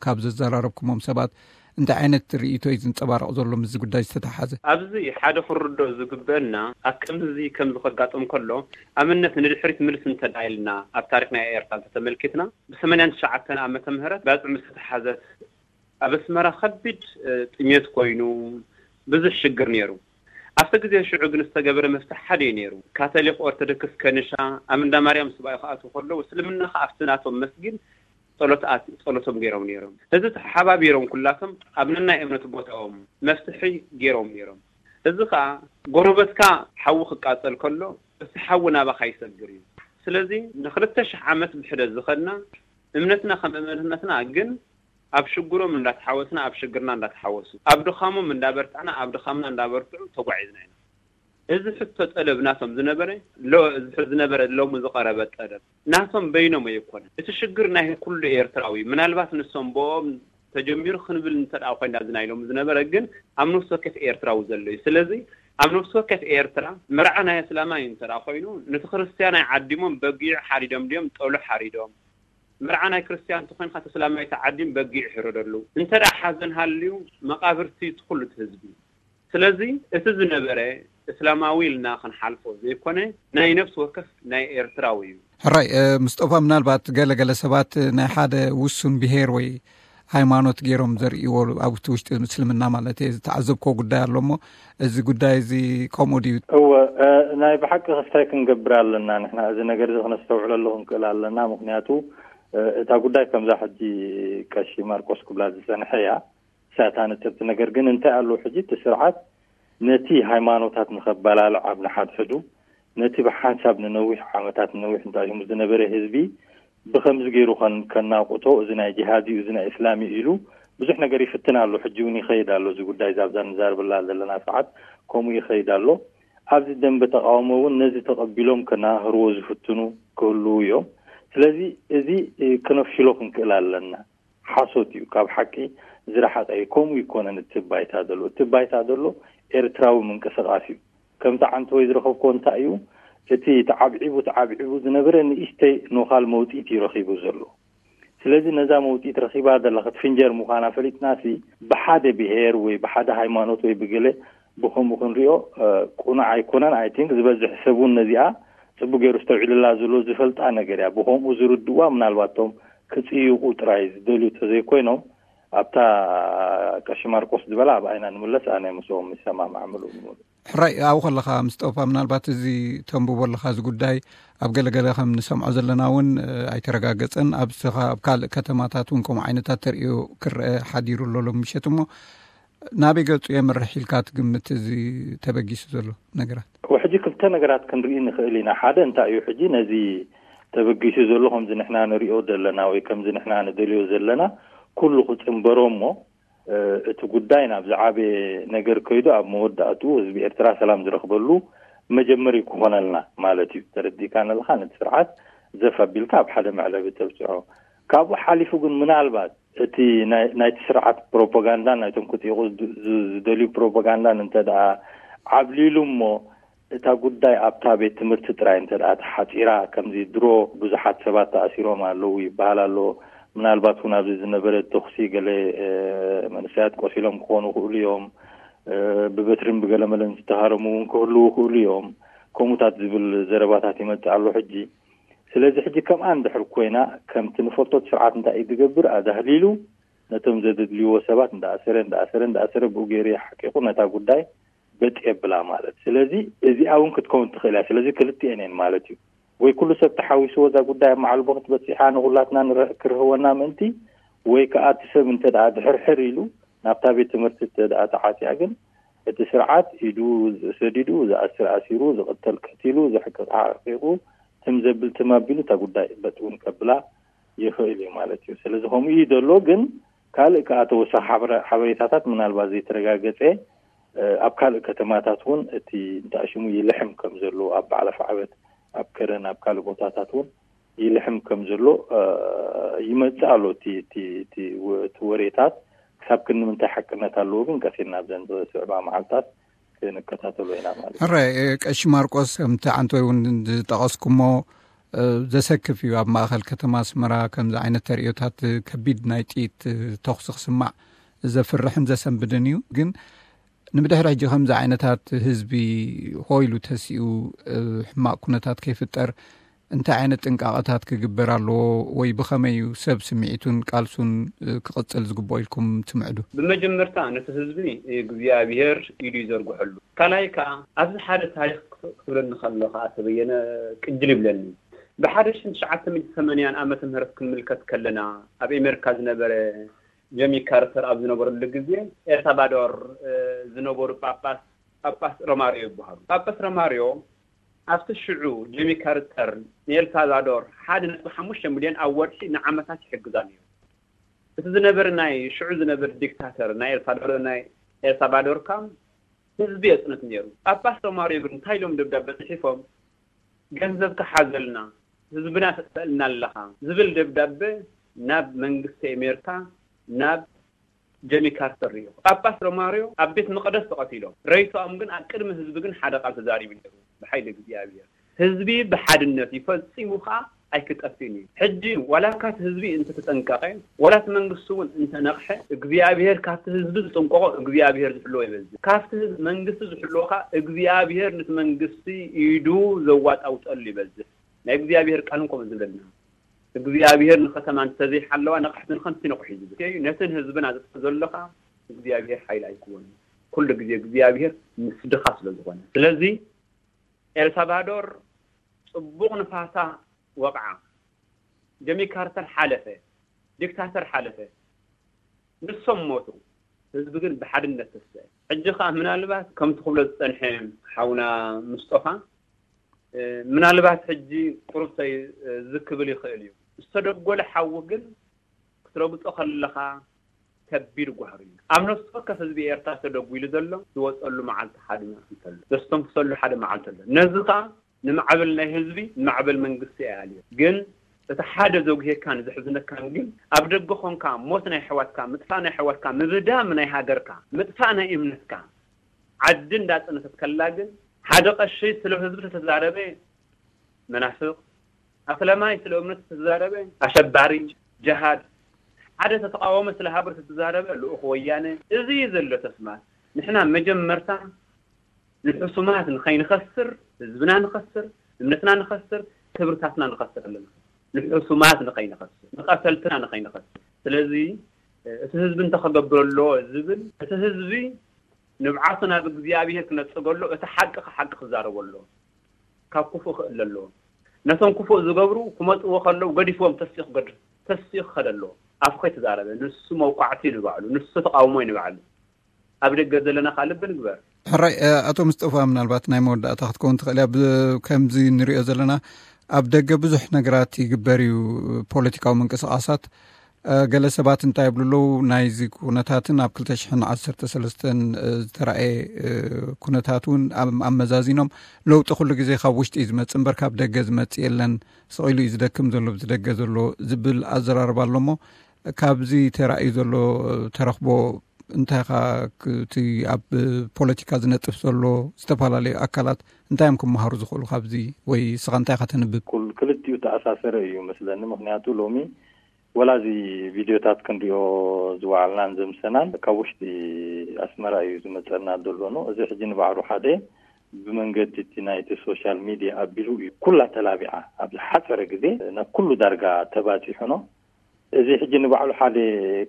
ካብ ዘዘራረብኩሞም ሰባት እንታይ ዓይነት ርእይቶ እዩ ዝንጸባረቕ ዘሎ ምስዚ ጉዳይ ዝተተሓዘ? ኣብዚ ሓደ ክርዶ ዝግበአና ኣብ ከምዚ ከምዚ ከጋጥም ከሎ ኣብነት ንድሕሪት ምልስ እንተዳ ኢልና ኣብ ታሪክ ናይ ኤርትራ እንተተመልኪትና ብሰማንያን ትሽዓተን ዓመተ ምህረት ባጽዕ ምስ ተተሓዘት ኣብ ኣስመራ ከቢድ ጥሜት ኮይኑ ብዙሕ ሽግር ነይሩ። ኣብቲ ግዜ ሽዑ ግን ዝተገበረ መፍትሕ ሓደ እዩ ነይሩ። ካቶሊክ ኦርቶዶክስ ከንሻ ኣብ እንዳ ማርያም ስባኤ ክኣትዉ ከለዉ እስልምና ከኣ ኣብቲ ናቶም መስጊድ ጸሎት ኣት ጸሎቶም ገይሮም ነይሮም። እዚ ተሓባቢሮም ኩላቶም ኣብ ነናይ እምነት ቦታኦም መፍትሒ ገይሮም ነይሮም። እዚ ከኣ ጎረበትካ ሓዊ ክቃጸል ከሎ እቲ ሓዊ ናባኻ ይሰግር እዩ። ስለዚ ንክልተ ሽሕ ዓመት ብሕደ ዝኸድና እምነትና ከም እምነትና ግን ኣብ ሽግሮም እንዳተሓወስና ኣብ ሽግርና እንዳተሓወሱ ኣብ ድኻሞም እንዳበርታዕና ኣብ ድኻምና እንዳበርትዑ ተጓዒዝና ኢና። እዚ ሕቶ ጠለብ ናቶም ዝነበረ እዚ ዝነበረ ሎሚ ዝቐረበ ጠለብ ናቶም በይኖም ኣይኮነን። እቲ ሽግር ናይ ኩሉ ኤርትራዊ ምናልባት ንሶም ብኦም ተጀሚሩ ክንብል እንተ ኮይና እዚ ናይ ሎሚ ዝነበረ ግን ኣብ ነፍሲ ወከፍ ኤርትራዊ ዘሎ እዩ። ስለዚ ኣብ ነፍሲ ወከፍ ኤርትራ መርዓ ናይ እስላማይ እንተ ኮይኑ ነቲ ክርስትያናይ ዓዲሞም በጊዕ ሓሪዶም ድዮም ጠሉ ሓሪዶም መርዓ ናይ ክርስትያን እንተኮይንካ እቲ እስላማይ ተዓዲም በጊዕ ይሕረደሉ። እንተ ደኣ ሓዘን ሃልዩ መቃብርቲ እቲ ኩሉ እቲ ህዝቢ። ስለዚ እቲ ዝነበረ እስላማዊ ኢልና ክንሓልፎ ዘይኮነ ናይ ነፍሲ ወከፍ ናይ ኤርትራዊ እዩ። ሕራይ ምስጦፋ ምናልባት ገለገለ ሰባት ናይ ሓደ ውሱን ብሄር ወይ ሃይማኖት ገይሮም ዘርእዎ ኣብቲ ውሽጢ ምስልምና ማለት እየ ዝተዓዘብኮ ጉዳይ ኣሎ እሞ እዚ ጉዳይ እዚ ከምኡ ድዩ? እወ ናይ ብሓቂ ክስታይ ክንገብር ኣለና ንሕና እዚ ነገር እዚ ክነስተውዕለሉ ክንክእል ኣለና። ምክንያቱ እታ ጉዳይ ከምዛ ሕጂ ቀሺ ማርቆስ ክብላ ዝጸንሐ እያ። ሳታ ነጥብቲ ነገር ግን እንታይ ኣለዉ ሕጂ እቲ ስርዓት ነቲ ሃይማኖታት ንኸበላልዕ ኣብ ንሓድሕዱ ነቲ ብሓንሳብ ንነዊሕ ዓመታት ንነዊሕ እንታይ ዝነበረ ህዝቢ ብኸምዚ ገይሩ ከናቁቶ እዚ ናይ ጅሃድ እዩ እዚ ናይ እስላም እዩ ኢሉ ብዙሕ ነገር ይፍትን ኣሎ። ሕጂ እውን ይኸይድ ኣሎ እዚ ጉዳይ ዛብዛ ንዛርብላ ዘለና ሰዓት ከምኡ ይኸይድ ኣሎ። ኣብዚ ደንበ ተቃውሞ እውን ነዚ ተቐቢሎም ከናህርዎ ዝፍትኑ ክህልዉ እዮም። ስለዚ እዚ ክነፍሽሎ ክንክእል ኣለና። ሓሶት እዩ፣ ካብ ሓቂ ዝረሓቐ እዩ። ከምኡ ይኮነን እቲ ባይታ ዘሎ። እቲ ባይታ ዘሎ ኤርትራዊ ምንቅስቃስ እዩ። ከምቲ ዓንተወይ ዝረኸብኮ እንታይ እዩ፣ እቲ ተዓብዒቡ ተዓብዒቡ ዝነበረ ንእሽተይ ኖኻል መውፅኢት እዩ ረኺቡ ዘሎ። ስለዚ ነዛ መውፅኢት ረኺባ ዘላ ክትፍንጀር ምዃና ፈሊጥናሲ ብሓደ ብሄር ወይ ብሓደ ሃይማኖት ወይ ብገለ ብኸምኡ ክንሪኦ ቁኑዕ ኣይኮነን። ኣይ ቲንክ ዝበዝሕ ሰብ እውን ነዚኣ ፅቡቅ ገይሩ ዝተውዒልላ ዘሎ ዝፈልጣ ነገር እያ። ብኸምኡ ዝርድዋ ምናልባቶም ክጽይቑ ጥራይ ዝደልዩ ተዘይኮይኖም ኣብታ ቀሺ ማርቆስ ዝበላ ኣብ ኣይና ንምለስ ኣነ ምስኦም ይሰማማዕ ምሉእ ብምሉእ። ሕራይ ኣብኡ ከለኻ ምስጠፋ፣ ምናልባት እዚ ተንብቦ ኣለኻ፣ እዚ ጉዳይ ኣብ ገለገለ ከም ንሰምዖ ዘለና እውን ኣይተረጋገጸን። ኣብስኻ ኣብ ካልእ ከተማታት እውን ከምኡ ዓይነታት ተርእዮ ክረአ ሓዲሩ ኣሎ ሎም ምሸት። እሞ ናበይ ገጹ የምርሕ ኢልካ ትግምት እዚ ተበጊሱ ዘሎ ነገራት? ሕጂ ክልተ ነገራት ክንርኢ ንኽእል ኢና። ሓደ እንታይ እዩ፣ ሕጂ ነዚ ተበጊሱ ዘሎ ከምዚ ንሕና ንሪኦ ዘለና ወይ ከምዚ ንሕና ንደልዮ ዘለና ኩሉ ክጽንበሮ እሞ እቲ ጉዳይ ናብ ዝዓበየ ነገር ከይዱ ኣብ መወዳእትኡ ህዝቢ ኤርትራ ሰላም ዝረኽበሉ መጀመሪ ክኾነልና ማለት እዩ። ተረዲእካ ኣለኻ? ነቲ ስርዓት ዘፍ ኣቢልካ ኣብ ሓደ መዕለቢ ተብፅሖ። ካብኡ ሓሊፉ ግን ምናልባት እቲ ናይቲ ስርዓት ፕሮፓጋንዳን ናይቶም ክጥይቑ ዝደልዩ ፕሮፓጋንዳን እንተ ደኣ ዓብሊሉ እሞ እታ ጉዳይ ኣብታ ቤት ትምህርቲ ጥራይ እንተ ደኣ ተሓፂራ፣ ከምዚ ድሮ ብዙሓት ሰባት ተኣሲሮም ኣለዉ ይበሃል ኣሎ። ምናልባት እውን ኣብዚ ዝነበረ ተኹሲ ገለ መንእሰያት ቆሲሎም ክኾኑ ይኽእሉ እዮም። ብበትርን ብገለመለን ዝተሃረሙ እውን ክህልዉ ይኽእሉ እዮም። ከምኡታት ዝብል ዘረባታት ይመጽእ ኣሎ ሕጂ። ስለዚ ሕጂ ከምኣ እንድሕር ኮይና፣ ከምቲ ንፈልጦ እቲ ስርዓት እንታይ እዩ ዝገብር? ኣዳህሊሉ ነቶም ዘደድልይዎ ሰባት እንዳኣሰረ እንዳኣሰረ እንዳኣሰረ ብኡ ገይሩ ይሓቂቑ ነታ ጉዳይ በጥ የብላ ማለት። ስለዚ እዚኣ እውን ክትከውን ትኽእል እያ። ስለዚ ክልቲኤን እየን ማለት እዩ። ወይ ኩሉ ሰብ ተሓዊስዎ እዛ ጉዳይ ኣብ መዓልቦ ክትበፅሓ ንኹላትና ንረ- ክርህወና ምእንቲ፣ ወይ ከዓ እቲ ሰብ እንተ ደኣ ድሕርሕር ኢሉ ናብታ ቤት ትምህርቲ እንተ ደኣ ተዓፅያ ግን እቲ ስርዓት ኢዱ ሰዲዱ ዝኣስር ኣሲሩ ዝቕተል ቀቲሉ ዘሕቅቕ ሓቂቑ ትም ዘብል ትም ኣቢሉ እታ ጉዳይ በጥ እውን ከብላ ይኽእል እዩ ማለት እዩ። ስለዚ ከምኡ እዩ ዘሎ። ግን ካልእ ከዓ ተወሳኺ ሓበረ- ሓበሬታታት ምናልባት ዘይተረጋገፀ ኣብ ካልእ ከተማታት እውን እቲ እንታይ ሽሙ ይልሕም ከም ዘሎ ኣብ በዓል ኣፍዓበት ኣብ ከረን ኣብ ካልእ ቦታታት እውን ይልሕም ከም ዘሎ ይመጽእ ኣሎ። እቲ እቲ እቲ ወ- እቲ ወሬታት ክሳብ ክንምንታይ ሓቅነት ኣለዎ ግን ቀሲና ኣብዘን ዝስዕባ መዓልታት ክንከታተሎ ኢና ማለት እዩ። ሕራይ ቀሺ ማርቆስ፣ ከምቲ ዓንቶይ እውን ዝጠቐስኩሞ ዘሰክፍ እዩ። ኣብ ማእኸል ከተማ ኣስመራ ከምዚ ዓይነት ተርእዮታት ከቢድ ናይ ጥይት ተኹሲ ክስማዕ ዘፍርሕን ዘሰንብድን እዩ። ግን ንብድሕሪ ሕጂ ከምዚ ዓይነታት ህዝቢ ሆይሉ ተሲኡ ሕማቕ ኩነታት ከይፍጠር እንታይ ዓይነት ጥንቃቐታት ክግበር ኣለዎ ወይ ብኸመይ እዩ ሰብ ስምዒቱን ቃልሱን ክቕጽል ዝግብኦ ኢልኩም ትምዕዱ? ብመጀመርታ ነቲ ህዝቢ እግዚኣብሔር ኢዱ ይዘርግሐሉ። ካልኣይ ከዓ ኣብዚ ሓደ ታሪክ ክትብለኒ ከሎ ከዓ ተበየነ ቅጅል ይብለኒ። ብሓደ ሽሕን ትሽዓተ ሚእትን ሰማንያን ዓመተ ምህረት ክንምልከት ከለና ኣብ ኣሜሪካ ዝነበረ ጀሚ ካርተር ኣብ ዝነበረሉ ግዜ ኤልሳልቫዶር ዝነበሩ ጳጳስ ጳጳስ ሮማሪዮ ይበሃሉ። ጳጳስ ሮማሪዮ ኣብቲ ሽዑ ጀሚ ካርተር ንኤልሳልቫዶር ሓደ ነጥቢ ሓሙሽተ ሚልዮን ኣብ ወርሒ ንዓመታት ይሕግዛ ነይሩ። እቲ ዝነበረ ናይ ሽዑ ዝነበረ ዲክታተር ናይ ኤልሳልቫዶር ናይ ኤልሳልቫዶር ካም ህዝቢ የጽንት ነይሩ። ጳጳስ ሮማሪዮ ግን እንታይ ኢሎም ደብዳቤ ጽሒፎም? ገንዘብ ክሓዘልና ህዝብና ተጥፈልና ኣለኻ ዝብል ደብዳቤ ናብ መንግስቲ ኣሜሪካ ናብ ጀሚ ካርተር ሪኦ። ጳጳስ ሮማሪዮ ኣብ ቤት መቅደስ ተቐቲሎም፣ ረይቶኦም ግን ኣብ ቅድሚ ህዝቢ ግን ሓደ ቃል ተዛሪቡ ነይሩ፣ ብሓይሊ እግዚኣብሔር። ህዝቢ ብሓድነት እዩ፣ ፈጺሙ ከዓ ኣይክጠፍእን እዩ። ሕጂ ዋላ ካት ህዝቢ እንተተጠንቀቐ፣ ዋላ እቲ መንግስቲ እውን እንተነቕሐ፣ እግዚኣብሔር ካብቲ ህዝቢ ዝጥንቀቖ እግዚኣብሔር ዝሕልዎ ይበዝሕ። ካብቲ ህዝቢ መንግስቲ ዝሕልዎ ከዓ እግዚኣብሔር ነቲ መንግስቲ ኢዱ ዘዋጣውጠሉ ይበዝሕ። ናይ እግዚኣብሔር ቃል እውን ከምኡ ዝብለና እግዚኣብሔር ንከተማ እንተዘይሓለዋ ነቕሕቲ ንኸምቲ ነቑሕ እዩ ዝብል እዩ። ነትን ህዝብን ኣዘጥፍ ዘሎ ከዓ እግዚኣብሔር ሓይሊ ኣይክወን። ኩሉ ግዜ እግዚኣብሔር ምስ ድኻ ስለ ዝኾነ። ስለዚ ኤልሳልቫዶር ጽቡቕ ንፋሳ ወቕዓ። ጀሚ ካርተር ሓለፈ። ዲክታተር ሓለፈ። ንሶም ሞቱ። ህዝቢ ግን ብሓድነት ተስፈ። ሕጂ ከዓ ምናልባት ከምቲ ክብሎ ዝጸንሐ ሓውና ምስጦፋ ምናልባት ሕጂ ቁሩብ ዝክብል ይኽእል እዩ። ዝተደጎለ ሓዊ ግን ክትረግጾ ከለኻ ከቢድ ጓህሪ እዩ። ኣብ ነፍሲ ወከፍ ህዝቢ ኤርትራ ተደጒሉ ዘሎ ዝወጸሉ መዓልቲ ሓደ መዓልቲ ኣሎ። ዘስተንፍሰሉ ሓደ መዓልቲ ኣሎ። ነዚ ኸኣ ንማዕበል ናይ ህዝቢ ንማዕበል መንግስቲ ኣያልዮ። ግን እቲ ሓደ ዘጉሄካን ዘሕዝነካን ግን ኣብ ደገ ኾንካ ሞት ናይ ኣሕዋትካ፣ ምጥፋእ ናይ ኣሕዋትካ፣ ምብዳም ናይ ሃገርካ፣ ምጥፋእ ናይ እምነትካ፣ ዓዲ እንዳጸነተት ከላ ግን ሓደ ቀሺ ስለ ህዝቢ ተተዛረበ መናፍቕ፣ ኣስለማይ ስለ እምነቱ ተዛረበ ኣሸባሪ፣ ጀሃድ፣ ሓደ ተተቃወመ ስለ ሃገሩ ተተዛረበ ልኡኽ ወያነ። እዚ እዩ ዘሎ ተስማት። ንሕና መጀመርታ ንሕሱማት ንኸይንኸስር፣ ህዝብና ንኸስር፣ እምነትና ንኸስር፣ ክብርታትና ንኸስር ኣለና። ንሕሱማት ንኸይንኸስር፣ ንቐተልትና ንኸይንኸስር። ስለዚ እቲ ህዝቢ እንተኸገብር ኣለዎ ዝብል እቲ ህዝቢ ንብዓቱ ናብ እግዚኣብሔር ክነጽገሎ፣ እቲ ሓቂ ሓቂ ክዛረበሎ፣ ካብ ክፉእ ክእለ ኣለዎ። ነቶም ክፉእ ዝገብሩ ክመጽዎ ከለዉ ገዲፍዎም ተሲኡ ክገድ-፣ ተሲኡ ክኸደ ኣለዎ። ኣፉ ከይተዛረበ፣ ንሱ መውቃዕቲ ንባዕሉ፣ ንሱ ተቓውሞ ንባዕሉ። ኣብ ደገ ዘለና ከኣ ልቢ ንግበር። ሕራይ፣ እ፣ ኣቶ ምስጠፋ፣ ምናልባት ናይ መወዳእታ ክትከውን ትኽእል እያ። ብ-፣ ከምዚ ንሪኦ ዘለና ኣብ ደገ ብዙሕ ነገራት ይግበር እዩ፣ ፖለቲካዊ ምንቅስቓሳት። እ፣ ገለ ሰባት እንታይ ይብሉ ኣለዉ፣ ናይዚ ኩነታትን ኣብ ክልተ ሽሕን ዓሰርተ ሰለስተን፣ እ፣ ዝተራእየ፣ እ፣ ኩነታት እውን ኣም-፣ ኣመዛዚኖም፣ ለውጢ ኩሉ ግዜ ካብ ውሽጢ እዩ ዝመጽእ እምበር ካብ ደገ ዝመጽእ የለን፣ ስቕ ኢሉ እዩ ዝደክም ዘሎ፣ ብዚ ደገ ዘሎ ዝብል ኣዘራርባ ኣሎ እሞ፣ ካብዚ ተራእዩ ዘሎ ተረኽቦ እንታይ ኢኻ ክ-፣ እቲ ኣብ ፖለቲካ ዝነጥፍ ዘሎ ዝተፈላለዩ ኣካላት እንታይ እዮም ክመሃሩ ዝኽእሉ ካብዚ? ወይ ንስኻ እንታይ ኢኻ ተንብብ? ኩል-፣ ክልቲኡ ተኣሳሰረ እዩ መስለኒ። ምኽንያቱ ሎሚ ወላ እዚ ቪድዮታት ክንሪኦ ዝወዓልናን ዘምሰናን ካብ ውሽጢ ኣስመራ እዩ ዝመጸና ዘሎ ነው። እዚ ሕጂ ንባዕሉ ሓደ ብመንገዲ እቲ ናይቲ ሶሻል ሚድያ ኣቢሉ እዩ ኩላ ተላቢዓ። ኣብ ዝሓጸረ ግዜ ናብ ኩሉ ዳርጋ ተባጺሑ ነው። እዚ ሕጂ ንባዕሉ ሓደ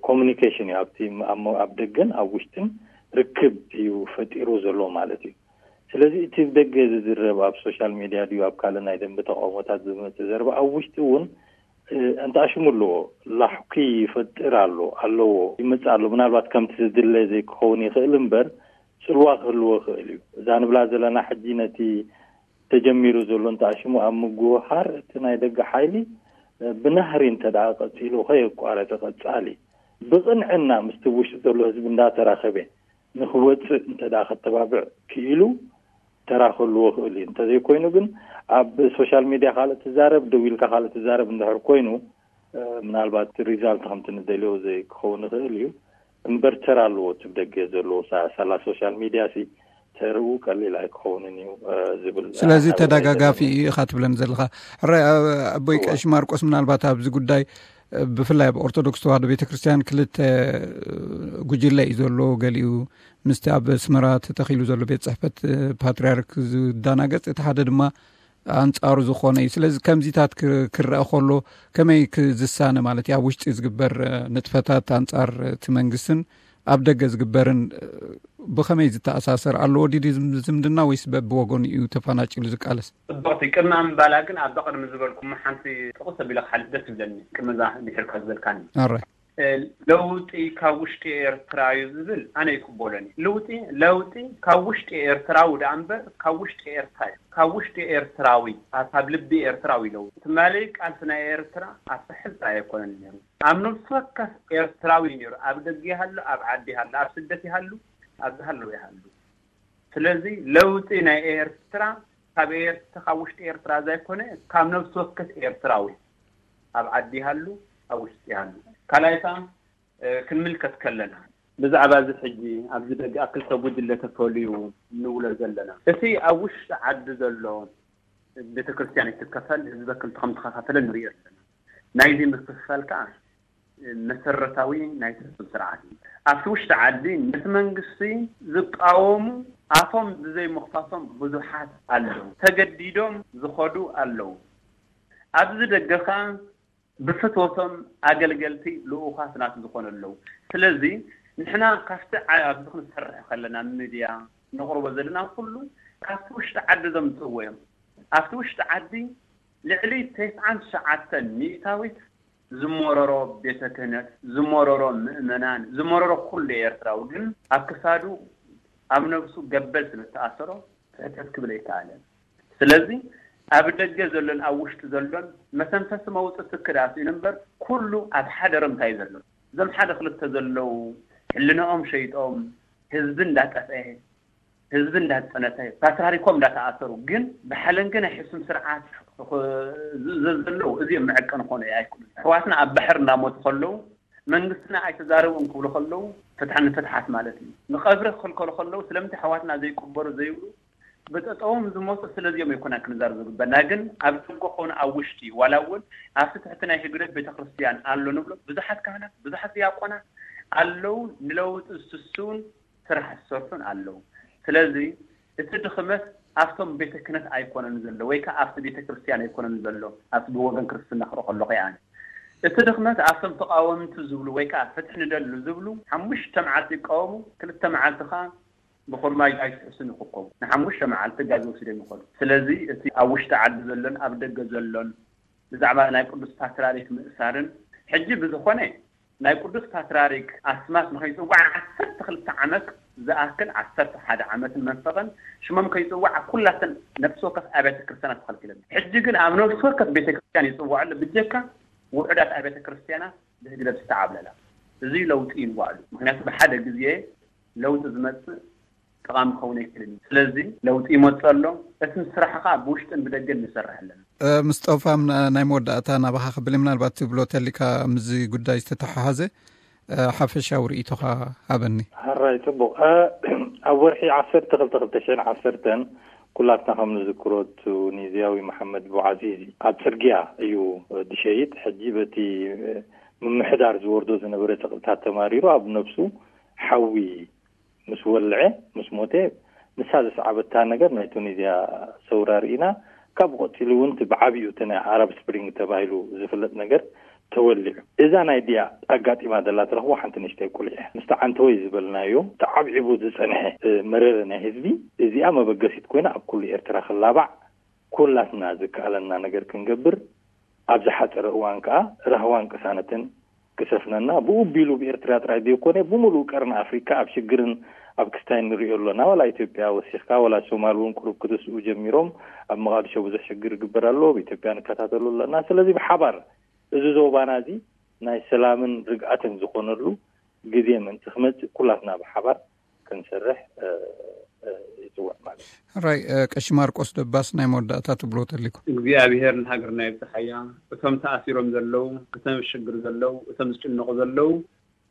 ኮሙኒኬሽን እዩ። ኣብቲ ኣብ፣ ኣብ ደገን ኣብ ውሽጥን ርክብ እዩ ፈጢሩ ዘሎ ማለት እዩ። ስለዚ እቲ ብደገ ዝዝረብ ኣብ ሶሻል ሚድያ ድዩ ኣብ ካልእ ናይ ደንበ ተቃውሞታት ዝመጽእ ዘረባ ኣብ ውሽጢ እውን፣ እ፣ እንተኣሽሙ ኣለዎ። ላሕኩ ይፈጥር ኣሎ፣ ኣለዎ፣ ይመጽእ ኣሎ። ምናልባት ከምቲ ዝድለ ዘይክኸውን ይኽእል እምበር ጽልዋ ክህልዎ ይኽእል እዩ። እዛ ንብላ ዘለና ሕጂ ነቲ ተጀሚሩ ዘሎ እንተኣሽሙ ኣብ ምጉህሃር እቲ ናይ ደገ ሓይሊ፣ እ፣ ብናህሪ እንተ ደኣ ቀጺሉ ከየቋረጸ ቀጻሊ ብቕንዕና ምስቲ ውሽጢ ዘሎ ህዝቢ እንዳተራኸበ ንኽወጽእ እንተ ደኣ ከተባብዕ ክኢሉ ተራ ክህልዎ ክእል እዩ። እንተዘይኮይኑ ግን ኣብ ሶሻል ሚድያ ካልእ ትዛረብ፣ ደው ኢልካ ካልእ ትዛረብ እንድሕር ኮይኑ፣ እ፣ ምናልባት ሪዛልት ከምቲ ንደልዮ ዘይክኸውን ይኽእል እዩ። እምበር ተራ ኣለዎ እቲ ብደገ ዘለዎ ሳ-፣ ሳላ ሶሻል ሚድያ ሲ ተርኡ ቀሊል ኣይክኸውንን እዩ፣ እ፣ ዝብል ስለዚ ሓደ ተደጋጋፊ እዩ ኢኻ ትብለኒ ዘለኻ። ሕራይ፣ እ፣ ኣቦይ እዋ። ቀሺ ማርቆስ፣ ምናልባት ኣብዚ ጉዳይ፣ እ፣ ብፍላይ ኣብ ኦርቶዶክስ ተዋህዶ ቤተክርስትያን ክልተ፣ እ፣ ጉጅለ እዩ ዘሎ። ገሊኡ ምስቲ ኣብ ኣስመራ ተተኺሉ ዘሎ ቤት ጽሕፈት፣ እ፣ ፓትርያርክ ዝዳናገጽ፣ እቲ ሓደ ድማ ኣንጻሩ ዝኾነ እዩ። ስለዚ ከምዚታት ክ-፣ ክረአ ከሎ ከመይ ክ-፣ ዝሳነ ማለት እዩ? ኣብ ውሽጢ ዝግበር፣ እ፣ ንጥፈታት ኣንጻር እቲ መንግስትን ኣብ ደገ ዝግበርን፣ እ፣ ብኸመይ ዝተኣሳሰር ኣለዎ? ድዩ ዝም-፣ ዝምድና ወይስ በብወገኑ እዩ ተፈናጭሉ ዝቃለስ? ጽብቕቲ። ቅድሚ ኣምባላ ግን ኣብ ቅድሚ ዝበልኩሞ ሓንቲ ጥቕስ ኣቢለ ክሓልፍ ደስ ይብለኒ። ቅድሚ እዛ ድሒርካ ዝበልካኒ። ኣራይ። እ፣ ለውጢ ካብ ውሽጢ ኤርትራ እዩ ዝብል ኣነ ይቅበሎን እዩ። ለውጢ፣ ለውጢ ካብ ውሽጢ ኤርትራዊ ደኣ እምበር ካብ ውሽጢ ኤርትራ እዩ። ካብ ውሽጢ ኤርትራዊ፣ ኣብ፣ ካብ ልቢ ኤርትራዊ ለውጢ። ትማሊ ቃልሲ ናይ ኤርትራ ኣብ ሳሕል ጥራይ ኣይኮነን ነይሩ። ኣብ ነፍሲ ወከፍ ኤርትራዊ እዩ ነይሩ። ኣብ ደገ ይሃሉ፣ ኣብ ዓዲ ይሃሉ፣ ኣብ ስደት ይሃሉ፣ ኣብ ዝሃለዉ ይሃሉ። ስለዚ ለውጢ ናይ ኤርትራ ካብ ኤርትራ፣ ካብ ውሽጢ ኤርትራ ዘይኮነ ካብ ነፍሲ ወከፍ ኤርትራዊ ኣብ ዓዲ ይሃሉ፣ ኣብ ውሽጢ ይሃሉ። ካልኣይ ከኣ፣ እ፣ ክንምልከት ከለና ብዛዕባ እዚ ሕጂ ኣብዚ ደገ ኣብ ክልተ ጉጅለ ተፈልዩ እንብሎ ዘለና፣ እቲ ኣብ ውሽጢ ዓዲ ዘሎ ቤተክርስትያን ይትከፈል፣ ህዝበ ክልተ ከም ተኸፋፈለ ንሪኦ ኣለና። ናይዚ ምክፍፋል ከኣ መሰረታዊ ናይ ፍጹም ስርዓት እዩ። ኣብቲ ውሽጢ ዓዲ ነቲ መንግስቲ ዝቃወሙ ኣፎም ብዘይምኽፋቶም ብዙሓት ኣለዉ። ተገዲዶም ዝኸዱ ኣለዉ። ኣብዚ ደገ ከኣ ብፍትወቶም ኣገልገልቲ ልኡኻት ናቱ ዝኾኑ ኣለዉ። ስለዚ ንሕና ካብቲ ዓ-፣ ኣብዚ ክንሰርሕ ከለና ሚድያ ነቕርቦ ዘለና ኩሉ ካብቲ ውሽጢ ዓዲ ዘምጽእዎ እዮም። ኣብቲ ውሽጢ ዓዲ ልዕሊ ተስዓን ትሽዓተን ሚእታዊት ዝመረሮ ቤተ ክህነት፣ ዝመረሮ ምእመናን፣ ዝመረሮ ኩሉ ኤርትራዊ ግን ኣብ ክሳዱ ኣብ ነብሱ ገበል ስለ ዝተኣሰሮ ሕተት ክብል ኣይከኣለን። ስለዚ ኣብ ደገ ዘሎን ኣብ ውሽጢ ዘሎን መተንፈሲ መውጽኢ ትኪ ደኣ ስኢኑ እምበር ኩሉ ኣብ ሓደ ረምታ እዩ ዘሎ። እዞም ሓደ ክልተ ዘለዉ ሕልናኦም ሸይጦም ህዝቢ እንዳጠፍአ ህዝቢ እንዳጸነተ፣ ፓትርያርኮም እንዳተኣሰሩ፣ ግን ብሓለንጊ ናይ ሕሱም ስርዓት ኽ-፣ ዝእዘዝ ዘለዉ፣ እዚኦም መዐቀኒ ክኾኑ ኣይክእሉን። ኣሕዋትና ኣብ ባሕሪ እንዳሞቱ ከለዉ፣ መንግስትና ኣይተዛረቡን ክብሉ ከለዉ፣ ፍትሒ ንፍትሓት ማለት እዩ። ንቐብሪ ክኽልከሉ ከለዉ፣ ስለምንታይ ኣሕዋትና ዘይቅበሩ ዘይብሉ፣ ብጠጠዎም ዝሞቱ ስለዚኦም ኣይኮናን ክንዛረብ ዝግበና። ግን ኣብ ደገ ኮነ ኣብ ውሽጢ፣ ዋላ እውን ኣብቲ ትሕቲ ናይ ህግደፍ ቤተክርስትያን ኣሎ ንብሎ፣ ብዙሓት ካህናት፣ ብዙሓት ዲያቆናት ኣለዉ፣ ንለውጢ ዝስስዉን ስራሕ ዝሰርሑን ኣለዉ። ስለዚ እቲ ድኽመት ኣብቶም ቤተ ክህነት ኣይኮነን ዘሎ፣ ወይ ከኣ ኣብቲ ቤተ ክርስቲያን ኣይኮነን ዘሎ፣ ኣብቲ ብወገን ክርስትና ክርኢ ከለኹ እየ ኣነ። እቲ ድኽመት ኣብቶም ተቓወምቲ ዝብሉ ወይ ከኣ ፍትሒ ንደሊ ዝብሉ፣ ሓሙሽተ መዓልቲ ይቃወሙ፣ ክልተ መዓልቲ ከኣ ብኹርማጅ ኣይትሕሱን ይኽከቡ። ንሓሙሽተ መዓልቲ ጋዝ ወሲዶም ይኸዱ። ስለዚ እቲ ኣብ ውሽጢ ዓዲ ዘሎን ኣብ ደገ ዘሎን ብዛዕባ ናይ ቅዱስ ፓትርያርክ ምእሳርን፣ ሕጂ ብዝኾነ ናይ ቅዱስ ፓትርያርክ ኣስማት ንኸይጽዋዕ ዓሰርተ ክልተ ዓመት ዝኣክል፣ ዓሰርተ ሓደ ዓመትን መንፈቕን ሽሞም ከይጽዋዕ ኣብ ኩላተን ነፍሲ ወከፍ ኣብያተ ክርስቲያናት ተኸልኪለን። ሕጂ ግን ኣብ ነፍሲ ወከፍ ቤተ ክርስቲያን ይጽዋዕ ኣሎ፣ ብጀካ ውሑዳት ኣብያተ ክርስቲያናት ብህግደፍ ዝተዓብለላ። እዚ ለውጢ ይንዋሉ። ምክንያቱ ብሓደ ግዜ ለውጢ ዝመጽእ ጠቓሚ ክኸውን ኣይክእልን እዩ። ስለዚ ለውጢ ይመጽእ ኣሎ። እቲ ስራሕ ከዓ ብውሽጥን ብደገን ንሰርሕ ኣለና። እ፣ ምስጦፋ፣ ም-፣ ናይ መወዳእታ ናባኻ ክብል፣ ምናልባት ትብሎ ተሊካ ምስዚ ጉዳይ ዝተተሓሓዘ፣ እ፣ ሓፈሻዊ ርእይቶኻ ሃበኒ። ሕራይ፣ ጽቡቕ። እ፣ ኣብ ወርሒ ዓሰርተ ክልተ ክልተ ሽሕን ዓሰርተን ኩላትና ከም ንዝክሮ፣ ቱኒዝያዊ መሓመድ ቡዓዚዚ ኣብ ጽርግያ እዩ ድሸይጥ። ሕጂ በቲ ምምሕዳር ዝወርዶ ዝነበረ ጸቕጥታት ተማሪሩ ኣብ ነፍሱ ሓዊ ምስ ወልዐ፣ ምስ ሞተ፣ ንሳ ዘስዓበታ ነገር ናይ ቱኒዝያ ሰውራ ርኢና። ካብ ቀጺሉ እውን እቲ ብዓቢኡ እቲ ናይ ኣረብ ስፕሪንግ ተባሂሉ ዝፍለጥ ነገር ተወሊዑ። እዛ ናይ ድያ ኣጋጢማ ዘላ ትረኽቦ ሓንቲ ንእሽተይ ቁልዕ እያ። ምስቲ ዓንተወይ ዝበልናዮ ተዓብዒቡ ዝጸንሐ፣ እ፣ መረረ ናይ ህዝቢ፣ እዚኣ መበገሲት ኮይና ኣብ ኩሉ ኤርትራ ክላባዕ ኩላትና ዝከኣለና ነገር ክንገብር፣ ኣብ ዝሓጸረ እዋን ከኣ ራህዋን ቅሳነትን ክሰፍነና፣ ብኡ ቢሉ ብኤርትራ ጥራይ ዘይኮነ ብምሉእ ቀርኒ ኣፍሪካ ኣብ ሽግርን ኣብ ክስታይ ንሪኦ ኣለና። ዋላ ኢትዮጵያ ወሲኽካ፣ ዋላ ሶማል እውን ቁሩብ ክትስኡ ጀሚሮም፣ ኣብ መቓድሾ ብዙሕ ሽግር ይግበር ኣሎ፣ ብኢትዮጵያ ንከታተሉ ኣለና። ስለዚ ብሓባር እዚ ዞባና እዚ ናይ ሰላምን ርግኣትን ዝኾነሉ ግዜ ምእንቲ ክመጽእ ኩላትና ብሓባር ክንሰርሕ፣ እ፣ እ፣ ይጽውዕ ማለት እዩ። ሕራይ፣ እ፣ ቀሺ ማርቆስ ደባስ፣ ናይ መወዳእታ ትብሎ ተሊኩም? እግዚኣብሔር ንሃገርና ይብጽሓያ። እቶም ተኣሲሮም ዘለዉ፣ እቶም ኣብ ሽግር ዘለዉ፣ እቶም ዝጭነቑ ዘለዉ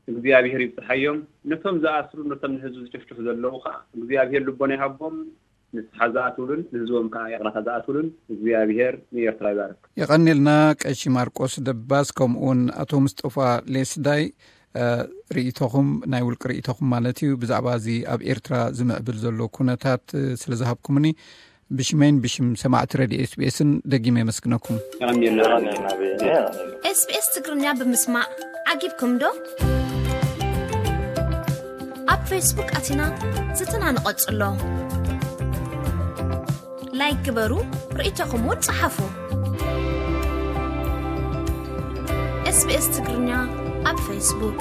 እግዚኣብሔር ይብጽሓዮም። ነቶም ዝኣስሩ፣ ነቶም ንህዝቢ ዝጭፍጭፉ ዘለዉ ከዓ እግዚኣብሔር ልቦና ይሃቦም። ንስሓ ዝኣትውሉን ንህዝቦም ከዓ ይቕረታ ዝኣትውሉን እግዚኣብሔር ንኤርትራ ይባርክ። የቐንየልና ቀሺ ማርቆስ ደባስ፣ ከምኡውን ኣቶ ምስጠፋ ሌስዳይ፣ እ፣ ርእይቶኹም፣ ናይ ውልቂ ርእይቶኹም ማለት እዩ፣ ብዛዕባ እዚ ኣብ ኤርትራ ዝምዕብል ዘሎ ኩነታት፣ እ፣ ስለ ዝሃብኩምኒ ብሽመይን ብሽም ሰማዕቲ ሬድዮ ኤስቢኤስን ደጊመ የመስግነኩም። የቐንየልና። የቐንየልና። ኤስቢኤስ ትግርኛ ብምስማዕ ዓጊብኩም ዶ? ኣብ ፌስቡክ ኣቲና ዝትና ንቐጽሎ። ላይክ ግበሩ፣ ርእይቶኹም እውን ጸሓፉ። ኤስቢኤስ ትግርኛ ኣብ ፌስቡክ።